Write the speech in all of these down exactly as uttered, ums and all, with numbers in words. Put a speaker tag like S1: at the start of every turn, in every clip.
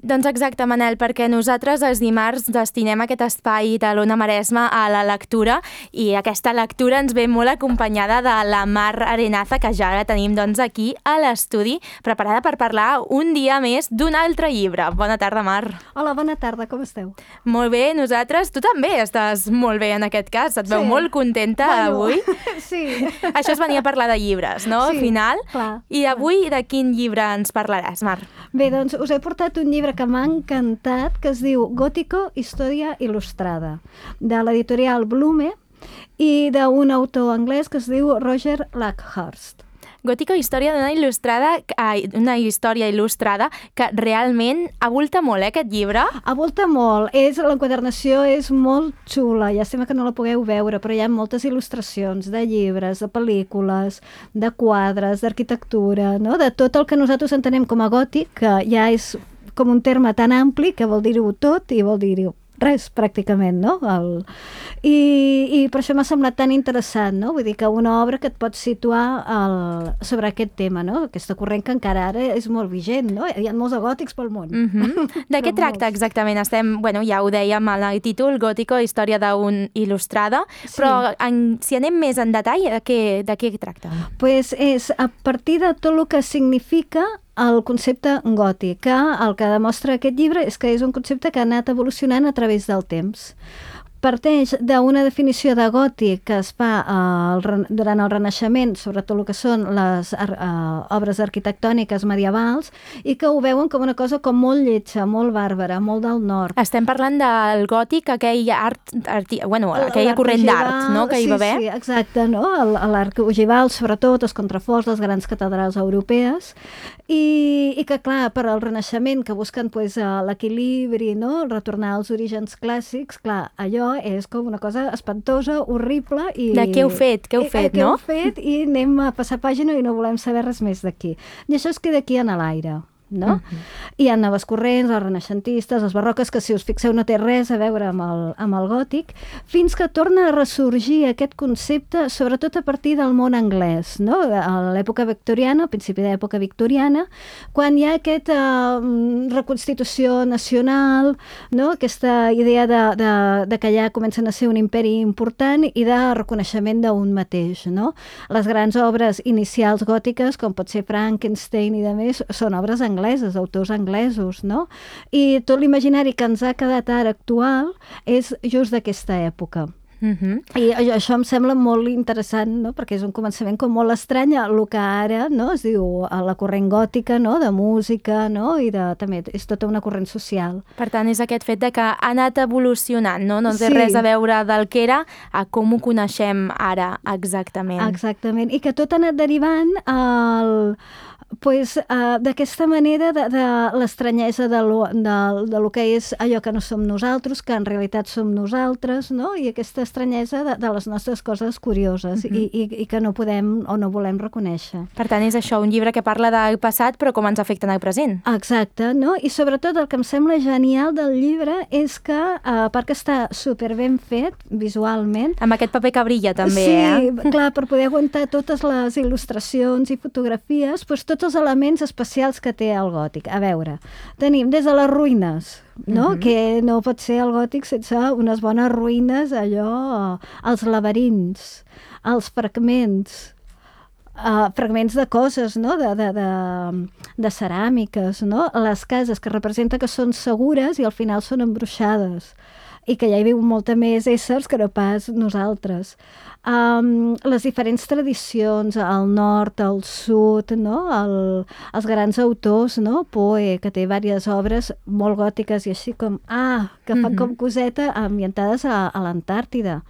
S1: Doncs exacte, Manel, perquè nosaltres els dimarts destinem aquest espai de l'Ona Maresma a la lectura i aquesta lectura ens ve molt acompanyada de la Mar Arenaza, que ja la tenim doncs aquí a l'estudi, preparada per parlar un dia més d'un altre llibre. Bona tarda, Mar.
S2: Hola, bona tarda, com esteu?
S1: Molt bé, nosaltres. Tu també estàs molt bé en aquest cas, et veu
S2: Sí.
S1: molt contenta
S2: Bueno,
S1: avui.
S2: sí.
S1: Això es venia a parlar de llibres, no?
S2: Sí,
S1: Al final.
S2: clar,
S1: I avui de quin llibre ens parlaràs, Mar?
S2: Bé, doncs us he portat un llibre que m'ha encantat, que es diu Gótico, història il·lustrada, de l'editorial Blume i d'un autor anglès que es diu Roger Luckhurst.
S1: Gótico, història d'una il·lustrada, ai, una història il·lustrada que realment avulta molt, eh, aquest llibre.
S2: Avolta molt, és, l'enquadernació és molt xula, llàstima que no la pugueu veure, però hi ha moltes il·lustracions de llibres, de pel·lícules, de quadres, d'arquitectura, no? De tot el que nosaltres entenem com a gòtic, que ja és com un terme tan ampli que vol dir-ho tot i vol dir-ho res, pràcticament, no? El... I, I per això m'ha semblat tan interessant, no? Vull dir que una obra que et pot situar el... sobre aquest tema, no? Aquesta corrent que encara ara és molt vigent, no? Hi ha molts de gòtics pel món.
S1: Mm -hmm. De què tracta exactament? Estem, bueno, ja ho dèiem en el títol, Gótico, història d'un il·lustrada,
S2: Sí.
S1: però en, si anem més en detall, de què, de què tracta?
S2: Pues és a partir de tot el que significa el concepte gòtic, que el que demostra aquest llibre és que és un concepte que ha anat evolucionant a través del temps. Parteix d'una definició de gòtic que es fa eh, durant el Renaixement, sobretot el que són les eh, obres arquitectòniques medievals, i que ho veuen com una cosa com molt lletja, molt bàrbara, molt del nord.
S1: Estem parlant del gòtic, aquell art, arti, bueno, aquella corrent d'art, no?, que hi va haver.
S2: Sí, sí, exacte, no? L'art ogival, sobretot, els contraforts, les grans catedrals europees, i, i que, clar, per al Renaixement, que busquen pues, l'equilibri, no? Retornar als orígens clàssics, clar, allò és com una cosa espantosa, horrible i...
S1: De què heu fet, què heu fet,
S2: eh,
S1: no?
S2: Què heu fet i anem a passar pàgina i no volem saber res més d'aquí. I això es queda aquí en l'aire, no? Uh-huh. Hi ha noves corrents, els renaixentistes, els barroques, que si us fixeu no té res a veure amb el, amb el gòtic, fins que torna a ressorgir aquest concepte, sobretot a partir del món anglès, no? A l'època victoriana, al principi de l'època victoriana, quan hi ha aquesta uh, reconstitució nacional, no? Aquesta idea de, de, de que ja comencen a ser un imperi important i de reconeixement d'un mateix, no? Les grans obres inicials gòtiques, com pot ser Frankenstein i de més, són obres angleses angleses, autors anglesos, no? I tot l'imaginari que ens ha quedat ara actual és just d'aquesta època.
S1: Uh-huh.
S2: I això em sembla molt interessant, no? Perquè és un començament com molt estrany el que ara, no? Es diu la corrent gòtica, no? De música, no? I de, també és tota una corrent social.
S1: Per tant, és aquest fet de que ha anat evolucionant, no? No té
S2: Sí.
S1: res a veure del que era a com ho coneixem ara exactament.
S2: Exactament. I que tot ha anat derivant al... Pues, uh, d'aquesta manera de, de l'estranyesa de, lo, de, de lo que és allò que no som nosaltres, que en realitat som nosaltres, no? I aquesta estranyesa de, de les nostres coses curioses uh-huh. i, i, i que no podem o no volem reconèixer.
S1: Per tant, és això, un llibre que parla del passat però com ens afecta en el present.
S2: Exacte, no? I sobretot el que em sembla genial del llibre és que, a part que està super ben fet visualment...
S1: Amb aquest paper que brilla també,
S2: sí,
S1: eh?
S2: Sí, clar, per poder aguantar totes les il·lustracions i fotografies, doncs tots els elements especials que té el gòtic. A veure, tenim des de les ruïnes, no? Uh-huh. Que no pot ser el gòtic sense unes bones ruïnes, allò, els laberints, els fragments, uh, fragments de coses, no? De, de, de, de ceràmiques, no? Les cases que representa que són segures i al final són embruixades i que ja hi viu molta més éssers que no pas nosaltres. Um, les diferents tradicions, al nord, al sud, no? El, els grans autors, no? Poe, que té diverses obres molt gòtiques i així com, ah, que fan mm-hmm. com coseta ambientades a, a l'Antàrtida.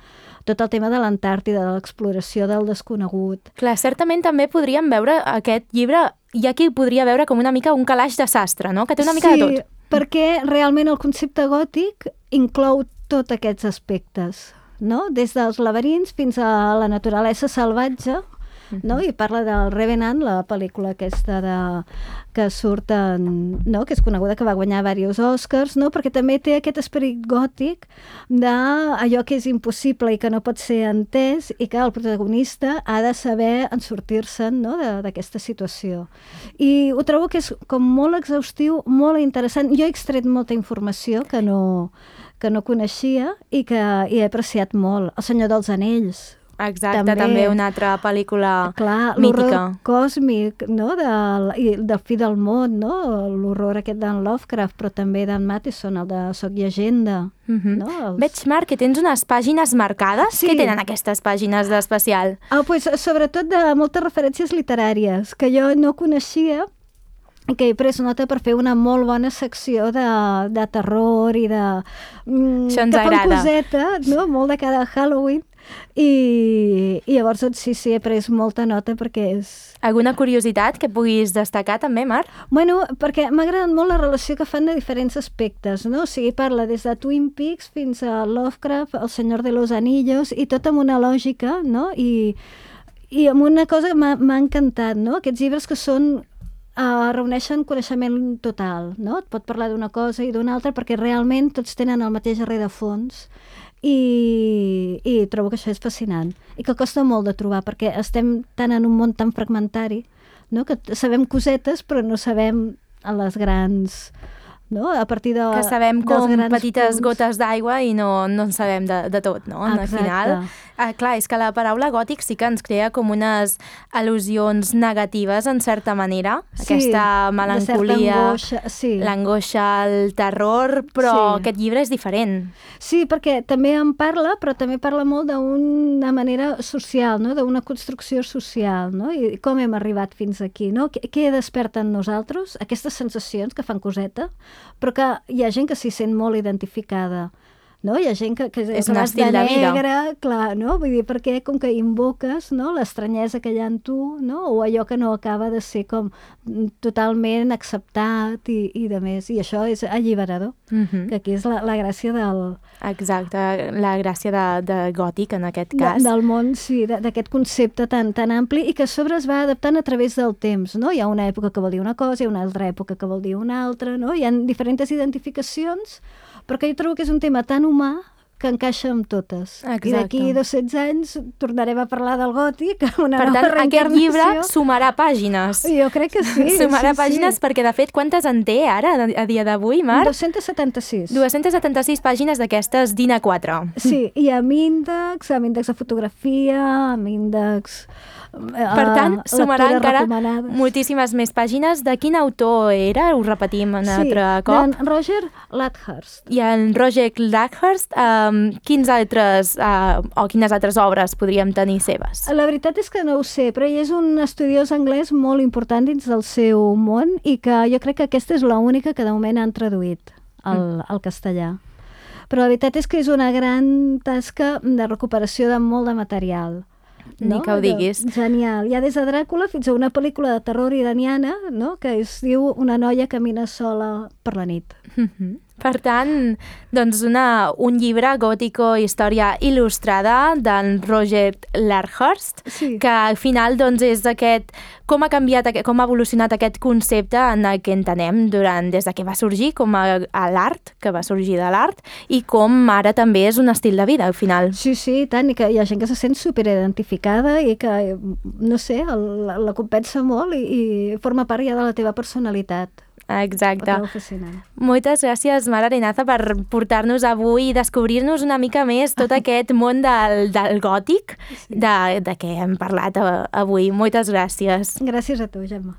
S2: Tot el tema de l'Antàrtida, de l'exploració del desconegut.
S1: Clar, certament també podríem veure aquest llibre, hi ha qui podria veure com una mica un calaix de sastre, no? Que té una mica
S2: sí,
S1: de tot.
S2: Perquè realment el concepte gòtic inclou tots aquests aspectes, no? Des dels laberints fins a la naturalesa salvatge uh-huh. no? I parla del Revenant, la pel·lícula aquesta de, que surt en, no? que és coneguda, que va guanyar diversos Oscars, no? Perquè també té aquest esperit gòtic d'allò que és impossible i que no pot ser entès i que el protagonista ha de saber en sortir-se'n, no? d'aquesta situació. I ho trobo que és com molt exhaustiu, molt interessant. Jo he extret molta informació que no, que no coneixia i que i he apreciat molt. El Senyor dels Anells.
S1: Exacte, també, també una altra pel·lícula
S2: clar,
S1: mítica.
S2: L'horror còsmic, no? del, i del fi del món, no? L'horror aquest d'en Lovecraft, però també d'en Matheson, el de Soc Llegenda.
S1: Uh-huh.
S2: no? Els...
S1: Veig, Marc, que tens unes pàgines marcades.
S2: Sí.
S1: Què tenen aquestes pàgines d'especial?
S2: Ah, pues, sobretot de moltes referències literàries, que jo no coneixia, que he pres nota per fer una molt bona secció de, de terror i de... Mm,
S1: Això ens
S2: que
S1: agrada.
S2: fan coseta, no? Molt de cara a Halloween. I, i llavors doncs, sí, sí, he pres molta nota perquè és...
S1: Alguna curiositat que puguis destacar també, Marc?
S2: Bueno, perquè m'ha agradat molt la relació que fan de diferents aspectes, no? O sigui, parla des de Twin Peaks fins a Lovecraft, El Senyor de los Anillos, i tot amb una lògica, no? I, i amb una cosa que m'ha encantat, no? Aquests llibres que són... Uh, reuneixen coneixement total, no? Et pot parlar d'una cosa i d'una altra perquè realment tots tenen el mateix rerefons i, i trobo que això és fascinant i que costa molt de trobar perquè estem tan en un món tan fragmentari, no? Que sabem cosetes però no sabem a les grans... No? A partir de,
S1: que sabem com petites
S2: punts.
S1: gotes d'aigua i no, no en sabem de, de tot, no? Al final, eh, clar, és que la paraula gòtic sí que ens crea com unes al·lusions negatives, en certa manera. Sí, aquesta melancolia,
S2: sí.
S1: l'angoixa, el terror, però sí. Aquest llibre és diferent.
S2: Sí, perquè també en parla, però també parla molt d'una manera social, no? D'una construcció social, no? I com hem arribat fins aquí, no? Què, què desperta en nosaltres? Aquestes sensacions que fan coseta, però que hi ha gent que s'hi sent molt identificada, no? Hi ha gent que, que
S1: és un estil de, de vida.
S2: Negre, clar, no? Vull dir, perquè com que invoques, no? L'estranyesa que hi ha en tu, no? O allò que no acaba de ser com totalment acceptat i, i de més, i això és alliberador, uh-huh. que aquí és la, la gràcia del...
S1: Exacte, la gràcia de, de gòtic en aquest cas.
S2: De, del món, sí, d'aquest concepte tan, tan ampli i que a sobre es va adaptant a través del temps, no? Hi ha una època que vol dir una cosa, hi ha una altra època que vol dir una altra, no? Hi ha diferents identificacions, però que jo trobo que és un tema tan humà que encaixa amb totes.
S1: Exacte.
S2: I d'aquí dos-cents anys tornarem a parlar del gòtic amb una
S1: per
S2: nova
S1: tant,
S2: reencarnació.
S1: Aquest llibre sumarà pàgines.
S2: Jo crec que sí.
S1: Sumarà
S2: sí,
S1: pàgines
S2: sí.
S1: Perquè, de fet, quantes en té ara, a dia d'avui, Marc?
S2: dos-cents setanta-sis.
S1: dos-cents setanta-sis pàgines d'aquestes d'I N A quatre.
S2: Sí, i amb índex, amb índex de fotografia, amb índex...
S1: Per tant, uh, sumarà encara moltíssimes més pàgines. De quin autor era? Ho repetim un sí, altre cop.
S2: Sí, Roger Ludhurst.
S1: I en Roger Ludhurst, um, quins altres, uh, o quines altres obres podríem tenir seves?
S2: La veritat és que no ho sé, però ell és un estudiós anglès molt important dins del seu món i que jo crec que aquesta és l'única que de moment han traduït al, mm. al castellà. Però la veritat és que és una gran tasca de recuperació de molt de material.
S1: Ni
S2: no?
S1: que ho diguis.
S2: Genial. Hi ha des de Dràcula fins a una pel·lícula de terror iraniana, no? Que es diu Una noia camina sola per la nit.
S1: Mm-hmm. Per tant, doncs una, un llibre gòtico, història il·lustrada d'en Roger Ludhurst, sí. Que al final doncs, és aquest, com ha canviat, com ha evolucionat aquest concepte en el que entenem durant, des de que va sorgir com a, a l'art, que va sorgir de l'art, i com ara també és un estil de vida al final.
S2: Sí, sí, tant, i que hi ha gent que se sent superidentificada i que, no sé, el, la compensa molt i, i forma part ja de la teva personalitat.
S1: Exacte. Moltes gràcies, Mar Arenaza, per portar-nos avui i descobrir-nos una mica més tot aquest món del, del gòtic, sí. de, de què hem parlat avui. Moltes gràcies.
S2: Gràcies a tu, Gemma.